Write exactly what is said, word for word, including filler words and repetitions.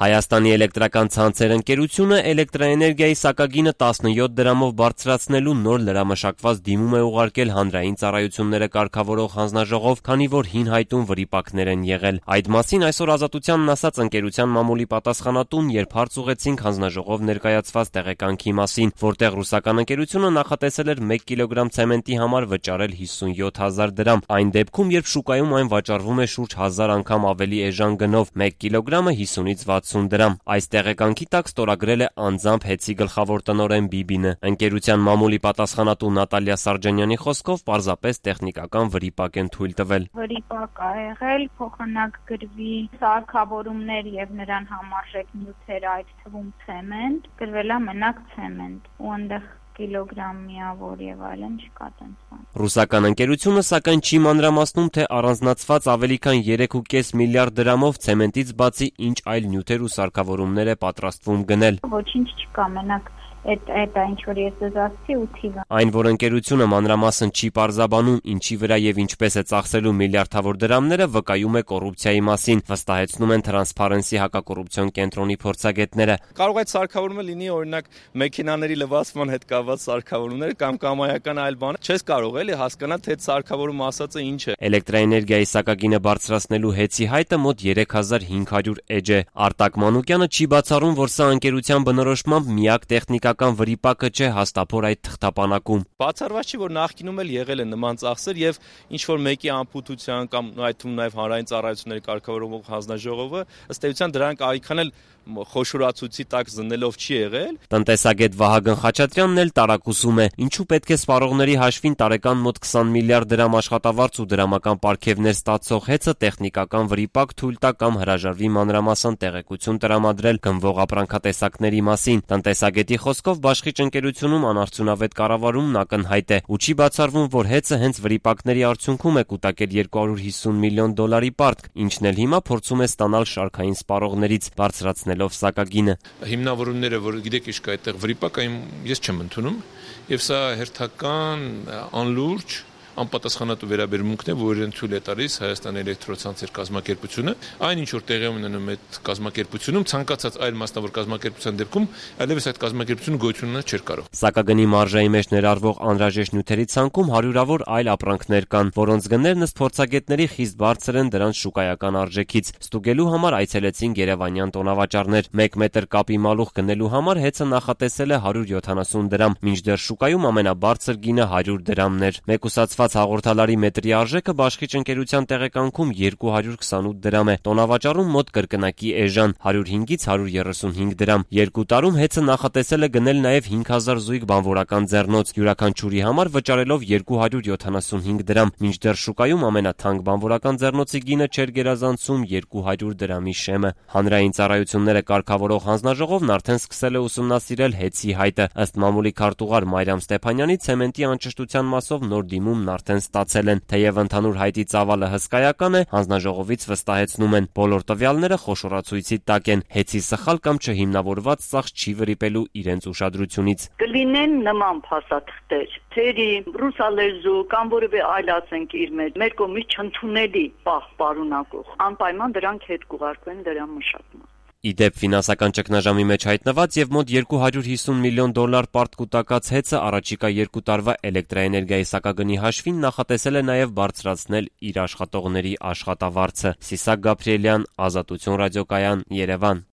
Հայաստանի էլեկտրական ցանցեր ընկերությունը էլեկտրաէներգիայի սակագինը տասնյոթ դրամով բարձրացնելու նոր լրամշակված դիմում է ուղարկել հանրային ծառայությունները կարգավորող հանձնաժողով, քանի որ հին հայտում վրիպակներ են եղել։ Այդ մասին այսօր Ազատությանն ասաց ընկերության մամուլի պատասխանատուն, երբ հարց ուղեցինք հանձնաժողով ներկայացված տեղեկանքի մասին, որտեղ ռուսական ընկերությունը նախատեսել էր մեկ կիլոգրամ ցեմենտի համար վճարել հիսունյոթ հազար դրամ, այն դեպքում, երբ շուկայում այն վաճառվում է շուրջ հազար անգամ ավելի էժան գնով, մեկ կիլոգրամը հիսունից վաթսուն դրամ։ Այս տեղեկանքի տակ ստորագրել է անձամբ հեծի գլխավոր տնօրեն Բիբինը։ Ընկերության մամուլի պատասխանատու Նատալիա Սարջանյանի խոսքով պարզապես տեխնիկական վրիպակ են թույլ տվել։ Վրիպակ ա եղել, փոխանակ գրվի սարքավորումներ եւ նրան համարժեք նյութեր, այդ թվում ցեմենտ, գրվել է մենակ ցեմենտ ու այնտեղ կիլոգրամ միավոր եւ այլն չկա տենց բան։ Ռուսական ընկերությունը սակայն չի մանրամասնում, թե առանձնացված ավելի քան երեք ու կես միլիարդ դրամով ցեմենտից բացի ինչ այլ նյութեր ու սարքավորումներ է պատրաստվում գնել։ Ոչինչ չկա, մենակ Այդ այդ ինչ որ ես դասացի ու թիվը։ Այն, որ ընկերությունը մանրամասն չի պարզաբանում, ինչի վրա եւ ինչպես է ծախսելու միլիարդավոր դրամները, վկայում է կոռուպցիայի մասին, վստահեցնում են Transparency հակակոռուպցիոն կենտրոնի փորձագետները։ Կարող է սարքավորումը լինի օրինակ մեքենաների լվացման հետ կապված սարքավորումներ կամ կամայական այլ բան։ Չես կարող էլի հասկանալ, թե այդ սարքավորումը ասածը ինչ է։ Էլեկտրաէներգիայի սակագինը բարձրացնելու հեծի հայտը մոտ երեք հազար հինգ հարյուր էջ է։ Արտակ Մանուկյանը չի բացառում, որ սա ընկերության բնորոշմամբ միակ տեխնիկական վրիպակը չէ հաստափոր այդ թղթապանակում։ Բացառված չի, որ նախկինում էլ եղել են նման ծախսեր եւ ինչ որ մեկի անփութության կամ այդ թվում նաեւ հանրային ծառայությունների կարգավորող հանձնաժողովը ըստ էության դրանք այքան էլ խոշորացույցի տակ զննելով չի եղել։ Տնտեսագետ Վահագն Խաչատրյանն էլ տարակուսում է, ինչու պետք է սպառողների հաշվին տարեկան մոտ քսան միլիարդ դրամ աշխատավարձ ու դրամական պարգևներ ստացող հեծը տեխնիկական վրիպակ թույլ տա կամ հրաժարվի մանրամասն տեղեկություն տրամադրել գնվող ապրանքատեսակների մասին։ Տնտեսագետի խոսքով բաշխիչ ընկերությունում անարդյունավետ կառավարումն ակնհայտ է ու չի բացառվում, որ հեծը հենց վրիպակների արդյունքում է կուտակել երկու հարյուր հիսուն միլիոն դոլարի պարտք, ինչն էլ հիմա փորձում է ստանալ շարքային սպառողներից, բարձրացնելով սակագինը։ Հիմնավորումները, որ գիտեք ինչ կա այդտեղ վրիպակ, ես չեմ ընդունում, եւ սա հերթական անլուրջ անպատասխանատու վերաբերմունքն է, որ իրեն թույլ է տալիս Հայաստանի էլեկտրոցանցեր կազմակերպությունը, այն ինչ որ տեղի ունենում այդ կազմակերպությունում, ցանկացած այլ մասնավոր կազմակերպության դեպքում այլևս այդ կազմակերպությունը գոյություն ունենալ չէր կարող։ Սակագնի մարժայի մեջ ներառվող անհրաժեշտ նյութերի ցանկում հարյուրավոր այլ ապրանքներ կան, որոնց գներն ըստ փորձագետների խիստ բարձր են դրանց շուկայական արժեքից։ Ստուգելու համար այցելեցին երևանյան տոնավաճառներ։ մեկ մետր կապի մալուխ գնելու համար հեծը նախատեսել է հարյուր յոթանասուն դրամ, մինչդեռ շուկայում ամենաբարձր գինը հարյուր դրամն էր։ Մեկուսացված հաղորդալարի մետրի արժեքը բաշխիչ ընկերության տեղեկանքում երկու հարյուր քսանութ դրամ է, տոնավաճառում մոտ կրկնակի էժան հարյուր հինգից հարյուր երեսունհինգ դրամ։ Երկու տարում հեծը նախատեսել է գնել նաև հինգ հազար զույգ բանվորական ձեռնոց, յուրաքանչյուրի համար վճարելով երկու հարյուր յոթանասունհինգ դրամ, մինչդեռ շուկայում ամենաթանկ բանվորական ձեռնոցի գինը չէր գերազանցում երկու հարյուր դրամի շեմը։ Հանրային ծառայությունները կարգավորող հանձնաժողովն արդեն սկսել է ուսումնասիրել հեծի հայտը։ Ըստ մամուլի քարտուղար Մարիամ Ստեփանյանի, ցեմենտի անճշտության մասով նոր դիմումն արդեն ստացել են, թեև ընդհանուր հայտի ծավալը հսկայական է, հանձնաժողովից վստահեցնում են, բոլոր տվյալները խոշորացույցի տակ են, հեծի սխալ կամ չհիմնավորված ծախս չի վրիպելու իրենց ուշադրությունից։ Կլինեն նման փաստաթղթեր, թերի, ռուսալեզու կամ որևէ այլ ասենք իր մեջ, մեր կողմից չընդունելի պահ պարունակող, անպայման դրանք հետ կուղարկվեն դրա մշակման։ Իդեպ ֆինանսական ճգնաժամի մեջ հայտնված եւ մոտ երկու հարյուր հիսուն միլիոն դոլար պարտ կուտակած հեծը առաջիկա երկու տարվա էլեկտրաէներգիայի սակագնի հաշվին նախատեսել է նաեւ բարձրացնել իր աշխատողների աշխատավարձը։ Սիսակ Գաբրիելյան, Ազատություն ռադիոկայան, Երևան։